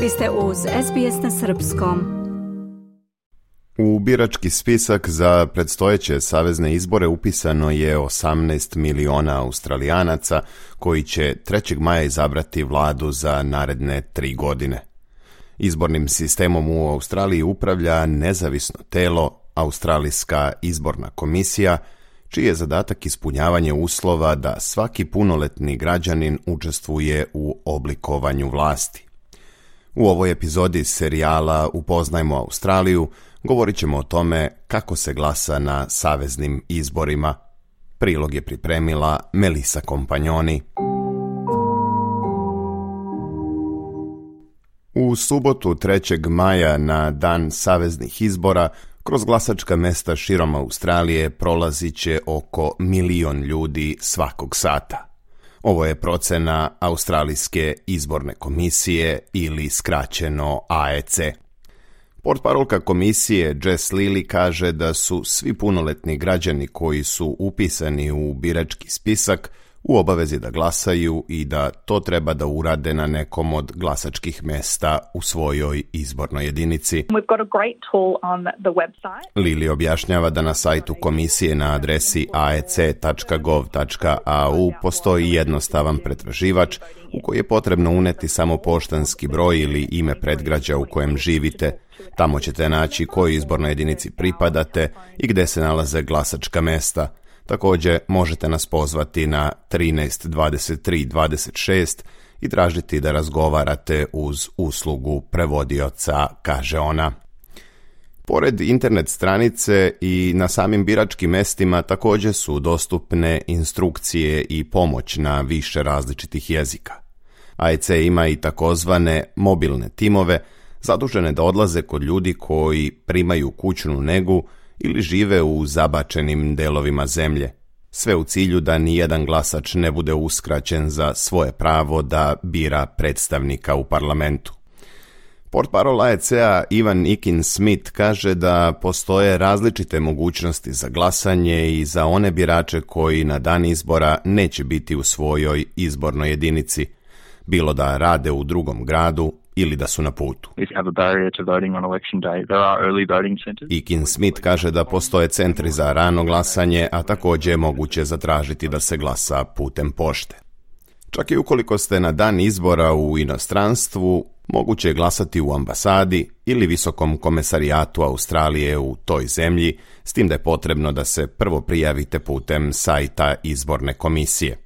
Vi ste uz SBS na srpskom. U birački spisak za predstojeće savezne izbore upisano je 18 miliona Australijanaca koji će 3. maja izabrati vladu za naredne 3 godine. Izbornim sistemom u Australiji upravlja nezavisno telo, Australijska izborna komisija, čiji je zadatak ispunjavanje uslova da svaki punoletni građanin učestvuje u oblikovanju vlasti. U ovoj epizodi serijala Upoznajmo Australiju govorit ćemo o tome kako se glasa na saveznim izborima. Prilog je pripremila Melissa Kompanjoni. U subotu 3. maja na dan saveznih izbora kroz glasačka mesta širom Australije prolazit će oko 1 milion ljudi svakog sata. Ovo je procena Australijske izborne komisije ili skraćeno AEC. Portparolka komisije Jess Lilly kaže da su svi punoletni građani koji su upisani u birački spisak u obavezi da glasaju i da to treba da urade na nekom od glasačkih mesta u svojoj izbornoj jedinici. Lilly objašnjava da na sajtu komisije na adresi aec.gov.au postoji jednostavan pretraživač u koji je potrebno uneti samo poštanski broj ili ime predgrađa u kojem živite. Tamo ćete naći kojoj izbornoj jedinici pripadate i gde se nalaze glasačka mesta. Također možete nas pozvati na 13 23 26 i tražiti da razgovarate uz uslugu prevodioca, kaže ona. Pored internet stranice i na samim biračkim mestima također su dostupne instrukcije i pomoć na više različitih jezika. AEC ima i takozvane mobilne timove zadužene da odlaze kod ljudi koji primaju kućnu negu ili žive u zabačenim delovima zemlje. Sve u cilju da nijedan glasač ne bude uskraćen za svoje pravo da bira predstavnika u parlamentu. Portparol AEC-a Ivan Ikin-Smith kaže da postoje različite mogućnosti za glasanje i za one birače koji na dan izbora neće biti u svojoj izbornoj jedinici, bilo da rade u drugom gradu ili da su na putu. Ikin-Smith kaže da postoje centri za rano glasanje, a također je moguće zatražiti da se glasa putem pošte. Čak i ukoliko ste na dan izbora u inostranstvu, moguće je glasati u ambasadi ili visokom komesarijatu Australije u toj zemlji, s tim da je potrebno da se prvo prijavite putem sajta izborne komisije.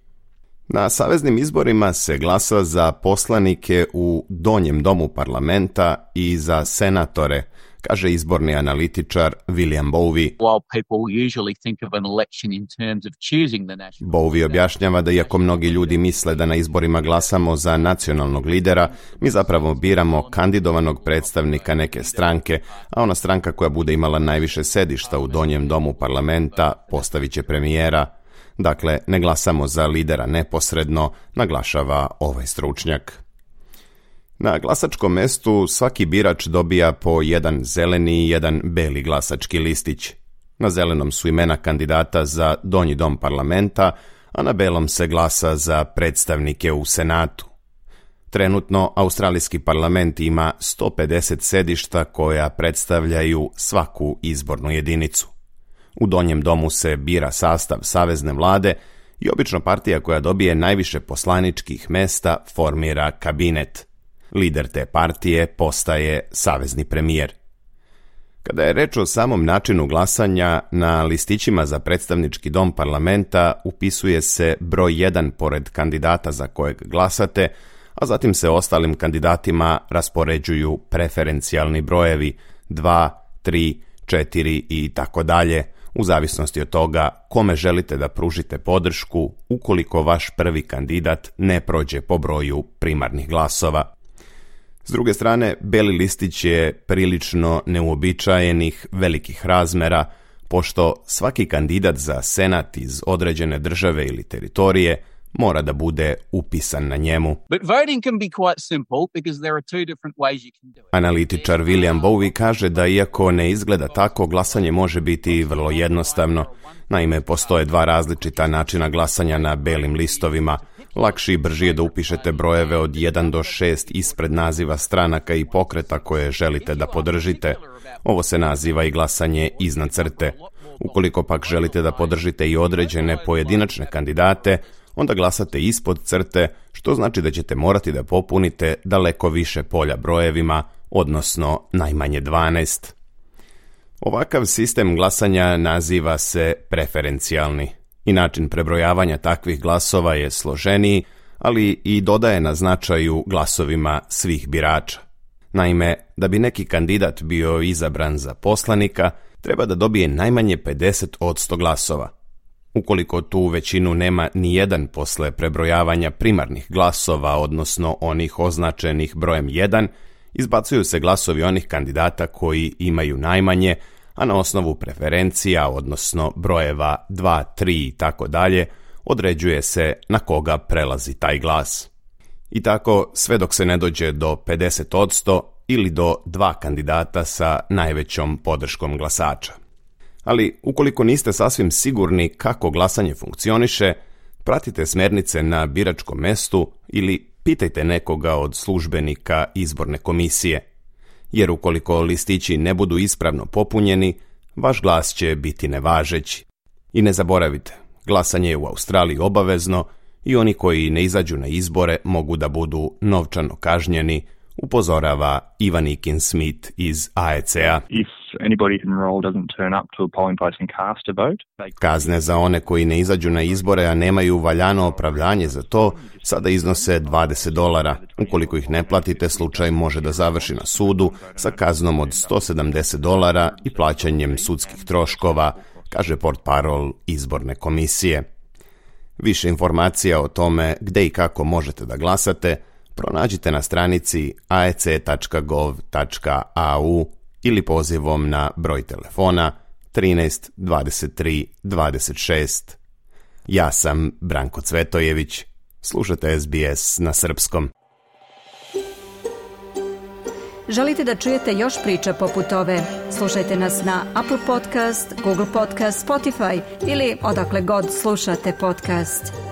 Na saveznim izborima se glasa za poslanike u donjem domu parlamenta i za senatore, kaže izborni analitičar William Bowey. Bowey objašnjava da iako mnogi ljudi misle da na izborima glasamo za nacionalnog lidera, mi zapravo biramo kandidovanog predstavnika neke stranke, a ona stranka koja bude imala najviše sedišta u donjem domu parlamenta postavit će premijera. Dakle, ne glasamo za lidera neposredno, naglašava ovaj stručnjak. Na glasačkom mestu svaki birač dobija po jedan zeleni i jedan beli glasački listić. Na zelenom su imena kandidata za donji dom parlamenta, a na belom se glasa za predstavnike u Senatu. Trenutno, Australijski parlament ima 150 sedišta koja predstavljaju svaku izbornu jedinicu. U donjem domu se bira sastav savezne vlade i obično partija koja dobije najviše poslaničkih mesta formira kabinet. Lider te partije postaje savezni premijer. Kada je reč o samom načinu glasanja, na listićima za predstavnički dom parlamenta upisuje se broj 1 pored kandidata za kojeg glasate, a zatim se ostalim kandidatima raspoređuju preferencijalni brojevi 2, 3, 4 i tako dalje, u zavisnosti od toga kome želite da pružite podršku ukoliko vaš prvi kandidat ne prođe po broju primarnih glasova. S druge strane, beli listić je prilično neuobičajenih velikih razmera, pošto svaki kandidat za senat iz određene države ili teritorije mora da bude upisan na njemu. Analitičar William Bowey kaže da iako ne izgleda tako, glasanje može biti vrlo jednostavno. Naime, postoje 2 različita načina glasanja na belim listovima. Lakši i brži je da upišete brojeve od 1 do 6 ispred naziva stranaka i pokreta koje želite da podržite. Ovo se naziva i glasanje iznad crte. Ukoliko pak želite da podržite i određene pojedinačne kandidate, onda glasate ispod crte, što znači da ćete morati da popunite daleko više polja brojevima, odnosno najmanje 12. Ovakav sistem glasanja naziva se preferencijalni i način prebrojavanja takvih glasova je složeniji, ali i dodaje na značaju glasovima svih birača. Naime, da bi neki kandidat bio izabran za poslanika, treba da dobije najmanje 50% glasova. Ukoliko tu većinu nema ni jedan posle prebrojavanja primarnih glasova, odnosno onih označenih brojem 1, izbacuju se glasovi onih kandidata koji imaju najmanje, a na osnovu preferencija, odnosno brojeva 2, 3 i tako dalje, određuje se na koga prelazi taj glas. I tako sve dok se ne dođe do 50% ili do 2 kandidata sa najvećom podrškom glasača. Ali ukoliko niste sasvim sigurni kako glasanje funkcioniše, pratite smernice na biračkom mestu ili pitajte nekoga od službenika izborne komisije, jer ukoliko listići ne budu ispravno popunjeni, vaš glas će biti nevažeći. I ne zaboravite, glasanje je u Australiji obavezno i oni koji ne izađu na izbore mogu da budu novčano kažnjeni, upozorava Ivan Ikin Smith iz AEC-a. Kazne za one koji ne izađu na izbore, a nemaju valjano opravdanje za to, sada iznose $20. Ukoliko ih ne platite, slučaj može da završi na sudu sa kaznom od $170 i plaćanjem sudskih troškova, kaže portparol izborne komisije. Više informacija o tome gde i kako možete da glasate pronađite na stranici aec.gov.au ili pozivom na broj telefona 13 23 26. Ja sam Branko Cvetojević. Slušate SBS na srpskom. Želite da čujete još priča poput ove? Slušajte nas na Apple Podcast, Google Podcast, Spotify ili odakle god slušate podcast.